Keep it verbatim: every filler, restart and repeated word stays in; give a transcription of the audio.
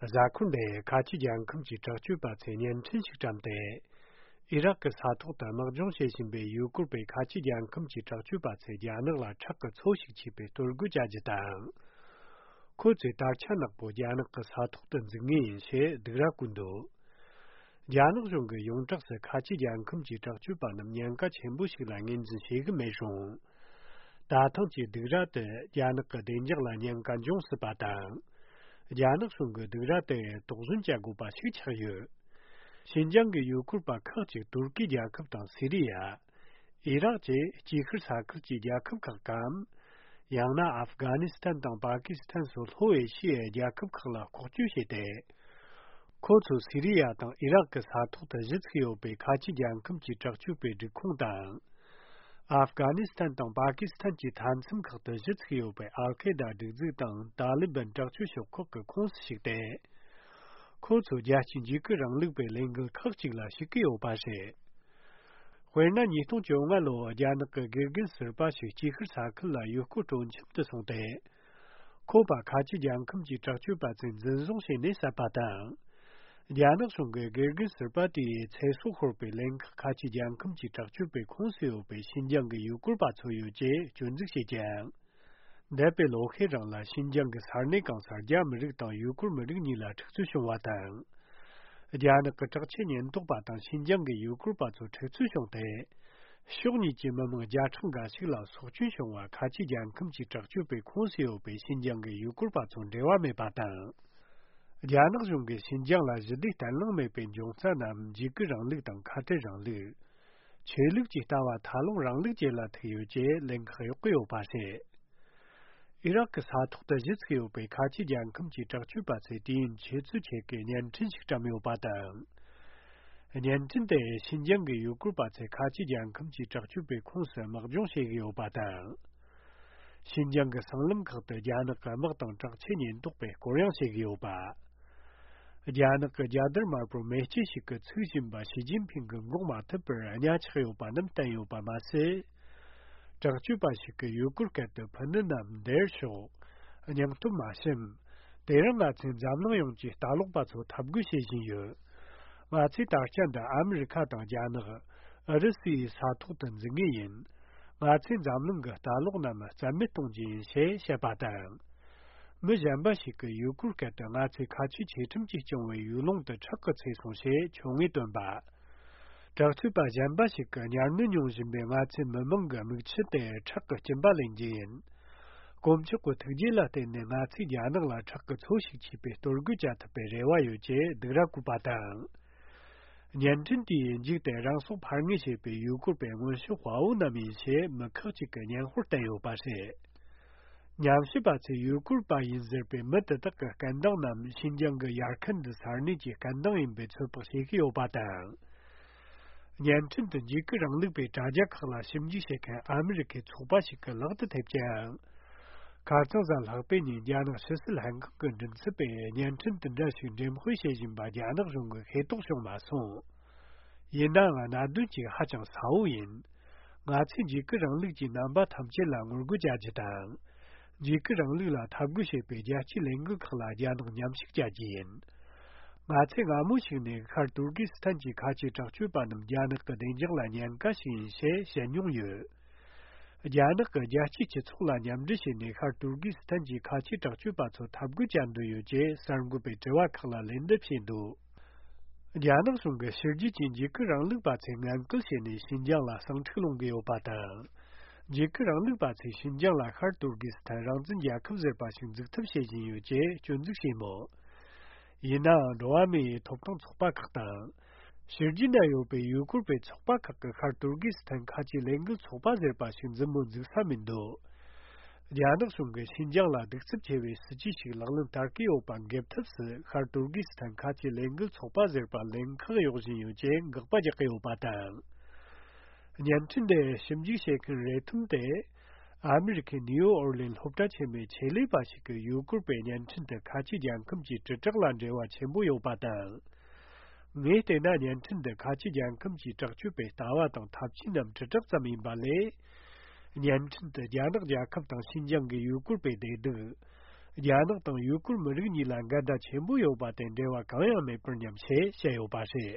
གཟའ་འཁོར་འདིར་ཁ་ཆེ་རྒྱལ་ཁམས་ཀྱི་དྲག་སྤྱོད་པ་ཚོས་བརྙན་འཕྲིན་ཞིག་བཀྲམ་སྟེ། ཨི་རག་གི་ས་ཐོག་ཏུ་དམག་སྦྱོང་བྱེད་བཞིན་པའི་ཡུ་གུར་པའི་ཁ་ཆེ་རྒྱལ་ཁམས་ཀྱི་དྲག་སྤྱོད་པ་ཚོས་རྒྱ་ནག་ལ་ཁྲག་གི་མཚོ་ཞིག་ཆུས་པའི་གཏོར་རྒོལ་བྱ་རྒྱུ་དང་། ཁོ་ཚོས་དར་ཆ་ནག་པོ་རྒྱ་ནག་གི་ས་ཐོག་ཏུ་འཛུགས་ངེས་ཡིན་ཞེས་སྡིགས་ར་བསྐུལ་འདུག་རྒྱ་ནག་གཞུང་གིས་ཡོངས་གྲགས་སུ་ཁ་ཆེ་རྒྱལ་ཁམས་ཀྱི་དྲག་སྤྱོད་པ་རྣམས་ཉེན་ཁ་ཆེན་པོ་ཞིག་ལ་ངོས་འཛིན་བྱེད་ཀྱི་མེད་རུང་། ད་ཐེངས་ཀྱི་སྡིགས་ར་དེ་རྒྱ་ནག་གི་བདེ་འཇགས་ལ་ཉེན་ཁ་འབྱུང་སྲིད་པ་དང་། རྒྱ་ནག་གཞུང་གིས་སྡིགས་ར་དེ་དོགས་ཟོན་བྱ་དགོས་པ་ཞིག་ཆགས་ཡོད། ཤིན་ཅང་གི་ཡུལ་སྐོར་པ་ཁག་ཅིག་ཏུར་ཀི་རྒྱལ་ཁབ་དང་སི་རི་ཡ། ཨི་རག་བཅས་དཀྱིལ་ཤར་ས་ཁུལ་གྱི་རྒྱལ་ཁབ་ཁག་གམ། ཡང་ན་ཨབ་གྷ་ནི་སི་ཐན་དང་པ་ཀི་སི་ཐན་སོགས་ལྷོ་ཨེ་ཤི་ཡའི་རྒྱལ་ཁབ་ཁག་ལ་ལྐོག་སྐྱོད་བྱས་ཏེ། ཁོ་ཚོ་སི་རི་ཡ་དང་ཨི་རག་གི་ས་ཐོག་ཏུ་གཞི་ཚུགས་ཡོད་པའི་ཁ་ཆེ་རྒྱལ་ཁམས་ཀྱི་དྲག་སྤྱོད་པའི་སྒྲིག་ཁོངས་དང་། ཨབ་གྷ་ནི་སི་ཐན་དང་པ་ཀི་སི་ཐན་གྱི་མཐའ་མཚམས་ཁག་ཏུ་གཞི་ཚུགས་ཡོད་པའི་ཨལ་ཁེ་ད་སྒྲིག་འཛུགས་དང་ཏཱ་ལི་བན་དྲག་སྤྱོད་ཤོག་ཁག་གི་ཁོངས་སུ་ཞུགས་ཏེ། ཁོ་ཚོ་རྒྱལ་སྤྱིའི་འཇིགས་སྐུལ་རིང་ལུགས་པའི་ལས་འགུལ་ཁག་ཅིག་ལ་ཞུགས་ཀྱི་ཡོད་པ་རེད། དཔེར་ན། ཉིས་སྟོང་བཅོ་ལྔ་ལོར་རྒྱ་ནག་གི་དགེ་རྒན་ཟུར་པ་ཞིག་དཀྱིལ་ཤར་ས་ཁུལ་ལ་ཡུལ་སྐོར་སྤྲོ་འཆམ་དུ་སོང་སྟེ། ཁོ་པ་ཁ་ཆེ་རྒྱལ་ཁམས་ཀྱི་དྲག་སྤྱོད་པ་ཚོས་འཛིན་བཟུང་བྱས་ནས་བསད་པ་དང་། རྒྱ་ནག་གཞུང་གིས་དགེ་རྒན་ཟུར་པ་དེའི་ཚེ་སྲོག་ཤོར་བའི་ལན་ཁག་ཁ་ཆེ་རྒྱལ་ཁམས་ཀྱི་དྲག་སྤྱོད་པའི་ཁོངས་སུ་ཡོད་པའི་ཤིན་ཅང་གི་ཡུལ་སྐོར་པ་ཚོ་ཡོད་ཅེས་སྐྱོན་འཛུགས་བྱས་ཀྱང་། འདས་པའི་ལོ་ཤས་རིང་ལ་ཤིན་ཅང་གི་ས་གནས་གང་སར་རྒྱ་མི་རིགས་དང་ཡུ་གུར་མི་རིགས་གཉིས་ལ་འཁྲུག་རྩོད་བྱུང་བ་དང་། རྒྱ་ནག་གི་དྲག་ཆས་ཉེན་རྟོག་པ་དང་ཤིན་ཅང་གི་ཡུ་གུར་པ་ཚོ་འཁྲུག་རྩོད་བྱུང་སྟེ། ཕྱོགས་གཉིས་ཀྱི་མི་མང་བརྒྱ་ཕྲག་འགའ་ཞིག་ལ་སྲོག་སྐྱོན་བྱུང་བ་ཁ་ཆེ་རྒྱལ་ཁམས་ཀྱི་དྲག་སྤྱོད་པའི་ཁོངས་སུ་ཡོད་པའི་ཤིན་ཅང་གི་ཡུ་གུར་པ་ཚོ་འབྲེལ་བ་མེད་པ་དང་། རྒྱ་ནག་གཞུང་གིས་ཤིན་ཅང་ལ་ཞི་བདེ་བརྟན་ལྷིང་མེད་པའི་འབྱུང་རྩ་རྣམས་འཇིགས་སྐུལ་རིང་ལུགས་དང་ཁ་བྲལ་རིང་ལུགས། ཆོས་ལུགས་ཀྱི་ལྟ་བ་ཐལ་ལོག་རིང་ལུགས་བཅས་ལ་ཐུག་ཡོད་ཅེས་ལན་ཁག་གཡོག་གི་ཡོད་པ་རེད། ཨི་རག་གི་ས་ཐོག་ཏུ་གཞི་ཚུགས་ཡོད་པའི་ཁ་ཆེ་རྒྱལ་ཁམས་ཀྱི་དྲག་སྤྱོད་པ་ཚོས་དུས་ཡུན་ཆུ་ཚོད་ཕྱེད་ཀའི་བརྙན་འཕྲིན་ཞིག་བཀྲམ་ཡོད་པ་དང་། བརྙན་འཕྲིན་དེ་ཤིན་ཅང་གི་ཡུ་གུར་པ་ཚོས་ཁ་ཆེ་རྒྱལ་ཁམས་ཀྱི་དྲག་སྤྱོད་པའི་ཁོངས་སུ་དམག་སྦྱོང་བྱེད་ཀྱི་ཡོད་པ་དང་། ཤིན་ཅང་གི་སྲང་ལམ་ཁག་ཏུ་རྒྱ་ནག་གི་དམག་དང་དྲག་ཆས་ཉེན་རྟོག་པས་སྐོར་གཡེང་བྱེད་ཀྱི་ཡོད་པ། རྒྱ་ནག་གི་རྒྱལ་དར་དམར་པོར་མེ་ལྕེ་ཞིག་གིས་ཚིག་བཞིན་པ་ཞི་ཅིན་ཕིང་གི་མགོ་མ་ཐུབ་པར་གཉའ་ཆག་ཡོད་པ་རྣམས་བསྟན་ཡོད་པ་མ་ཟད། དྲག་སྤྱོད་པ་ཞིག་གིས་ཡུ་གུར་སྐད་དུ་ཕུ་ནུ་རྣམས་བདེར་ཤོག་སྙིང་སྟོབས་མ་ཞུམ། དེ་རིང་ང་ཚོས་འཛམ་གླིང་ཡོངས་ཀྱི་ལྟ་ལོག་པ་ཚོ་འཐབ་རྒོལ་བྱེད་བཞིན་ཡོད། ང་ཚོས་ད་ཆ་འདི་ཨ་མི་རི་ཁ་དང་རྒྱ་ནག་ཨུ་རུ་སུའི་ས་ཐོག་ཏུ་འཛུགས་ངེས་ཡིན། ང་ཚོས་འཛམ་གླིང་གི་ལྟ་ལོག་རྣམས་རྩ་མེད་གཏོང་རྒྱུ་ཡིན་ཞེས་བཤད་པ་དང་། མི་གཞན་པ་ཞིག་གིས་ཡུ་གུར་སྐད་དུ་ང་ཚོས་ཁ་ཆེའི་ཆོས་ཁྲིམས་ཀྱིས་སྐྱོང་བའི་ཡུལ་ལུང་དུ་ཁྲག་གིས་ཚོས་སོང་ཞེས་ཆོ་ངེས་བཏོན་པ། དྲག་སྤྱོད་པ་གཞན་པ་ཞིག་གིས་གཉའ་གནོན་མྱོང་བཞིན་པའི་ང་ཚོའི་མི་མང་གི་མིག་ཆུ་དེ་ཁྲག་གི་སྐྱིན་པ་ལེན་རྒྱུ་ཡིན། དཀོན་མཆོག་གི་ཐུགས་རྗེ་ལ་བརྟེན་ནས་ང་ཚོས་རྒྱ་ནག་ལ་ཁྲག་གི་མཚོ་ཞིག་ཆུས་པའི་གཏོར་རྒོལ་བྱ་ཐུབ་པའི་རེ་བ་ཡོད་ཅེས་སྡིགས་ར་བསྐུལ་བ་དང་། བརྙན་འཕྲིན་དེའི་མཇུག་ཏུ་རང་སྲོག་ཕར་ངོས་བྱེད་པའི་ཡུལ་སྐོར་པའི་སྔོན་བྱོན་དཔའ་བོ་རྣམས་ཡིན་ཞེས་མི་ཁག་ཅིག་གིས་སྙན་ཧོར་བསྟན་ཡོད་པ་རེད། ཉམས་ཞིབ་པ་ཚོས་ཡུལ་སྐོར་པ་ཡིན་ཟེར་པའི་མི་དེ་དག་གི་སྐད་གདངས་རྣམས་ཤིན་ཅང་གི་ཡར་ཁན་དི་ས་གནས་ཀྱི་སྐད་གདངས་ཡིན་པའི་ཚོད་དཔག་བྱེད་ཀྱི་ཡོད་པ་དང་། བརྙན་འཕྲིན་དུ་འཇིགས་སྐུལ་རིང་ལུགས་པའི་དྲ་རྒྱ་ཁག་ལ་ཞིབ་འཇུག་བྱེད་མཁན་ཨ་མི་རི་ཁའི་ཚོགས་པ་ཞིག་གི་ལག་ཏུ་ཐེབས་ཀྱང་། ཁ་རྩང་གཟའ་ལྷག་པའི་ཉིན་རྒྱ་ནག་ཕྱི་སྲིད་ལྷན་ཁང་གི་མགྲིན་ཚབ་པས་བརྙན་འཕྲིན་དེ་འདྲ་ཞིག་འགྲེམས་སྤེལ་བྱེད་བཞིན་པ་རྒྱ་ནག་གཞུང་གིས་ཤེས་རྟོགས་བྱུང་མ་སོང་། ཡིན་ནའང་གནད་དོན་གཅིག་ཧ་ཅང་གསལ་བོ་ཡིན། ང་ཚོས་འཇིགས་སྐུལ་རིང་ལུགས་ཀྱི་རྣམ་པ་ཐམས་ཅད་ལ་ངོ་རྒོལ་བྱ་རྒྱུ་དང་། འཇིགས་སྐུལ་རིང་ལུགས་ལ་འཐབ་རྒོལ་བྱེད་པའི་རྒྱལ་སྤྱིའི་ལས་འགུལ་ཁག་ལ་རྒྱ་ནག་མཉམ་ཞུགས་བྱ་རྒྱུ་ཡིན། ང་ཚོས་སྔ་མོ་ཞིག་ནས་ཤར་ཏུར་ཀི་སི་ཐན་གྱི་ཁ་ཆེའི་དྲག་སྤྱོད་པ་རྣམས་རྒྱ་ནག་གི་བདེ་འཇགས་ལ་ཉེན་ཁ་ཞིག་ཡིན་ཞེས་བཤད་མྱོང་ཡོད། རྒྱ་ནག་གིས་རྒྱལ་སྤྱིའི་སྤྱི་ཚོགས་ལ་མཉམ་འབྲེལ་བྱས་ནས་ཤར་ཏུར་ཀི་སི་ཐན་གྱི་ཁ་ཆེའི་དྲག་སྤྱོད་པ་ཚོ་འཐབ་རྒོལ་བྱ་འདོད་ཡོད་ཅེས་གསར་འགོད་པའི་དྲི་བ་ཁག་ལ་ལན་འདེབས་བྱས་འདུག་རྒྱ་ནག་གཞུང་གིས་ཕྱི་རྒྱལ་གྱི་འཇིགས་སྐུལ་རིང་ལུགས་པ་ཚོས་ངན་སྐུལ་བྱས་ནས་ཤིན་ཅང་ལ་ཟིང་འཁྲུག་སློང་གི་ཡོད་པ་དང་། འཇིགས་སྐུལ་རིང་ལུགས་པ་ཚོས་ཤིན་ཅང་ལ་ཤར་ཏུར་ཀི་སི་ཐན་རང་བཙན་རྒྱལ་ཁབ་ཟེར་པ་ཞིག་འཛུགས་ཐབས་བྱེད་བཞིན་ཡོད་ཅེས་སྐྱོན་འཛུགས་བྱས་མོད། ཡིན་ནའང་འགྲོ་བ་མིའི་ཐོབ་ཐང་ཚོགས་པ་ཁག་དང་། ཕྱི་རྒྱལ་ན་ཡོད་པའི་ཡུ་གུར་པའི་ཚོགས་པ་ཁག་གིས་ཤར་ཏུར་ཀི་སི་ཐན་ཁ་ཆེའི་ལས་འགུལ་ཚོགས་པ་ཟེར་པ་ཞིག་མཛུབ་མོ་འཛུགས་ས་མི་འདུག་རྒྱ་ནག་གཞུང་གིས་ཤིན་ཅང་ལ་གདུག་རྩུབ་ཆེ་བའི་སྲིད་ཇུས་ཤིག་ལག་ལེན་བསྟར་གྱི་ཡོད་པ་འགེབས་ཐབས་སུ་ཤར་ཏུར་ཀི་སི་ཐན་ཁ་ཆེའི་ལས་འགུལ་ཚོགས་པ་ཟེར་པ་ལན་ཁག་གཡོག་བཞིན་ཡོད་ཅེས་དགག་པ་རྒྱག་གི་ཡོད་པ་དང་། བརྙན་འཕྲིན་དེ་ཞིབ་འཇུག་བྱེད་མཁན་རེ་ཐུམ་དེ། ཨ་མི་རི་ཁའི་ནིའུ་ཨོར་ལིན་སློབ་གྲྭ་ཆེན་མོའི་ཆེད་ལས་པ་ཞིག་གིས་ཡུ་གུར་པའི་བརྙན་འཕྲིན་དེ་ཁ་ཆེ་རྒྱལ་ཁམས་ཀྱི་དྲིལ་བསྒྲགས་ལ་འབྲེལ་བ་ཆེན་པོ་ཡོད་པ་དང་། ངས་བལྟས་ན་བརྙན་འཕྲིན་འདི་ཁ་ཆེ་རྒྱལ་ཁམས་ཀྱི་དྲག་སྤྱོད་པའི་ལྟ་བ་དང་ཐབས་ཇུས་རྣམས་དྲིལ་བསྒྲགས་ཙམ་ཡིན་པ་ལས། བརྙན་འཕྲིན་དུ་རྒྱ་ནག་རྒྱལ་ཁབ་དང་ཤིན་ཅང་གི་ཡུ་གུར་པའི་བདེ་སྡུག་རྒྱ་ནག་དང་ཡུ་གུར་མི་རིགས་གཉིས་ལ་འགལ་ཟླ་ཆེན་པོ་ཡོད་པ་དེ་འབྲེལ་བ་གང་ཡང་མེད་པར་སྙམ་ཞེས་བཤད་ཡོད་པ་རེད།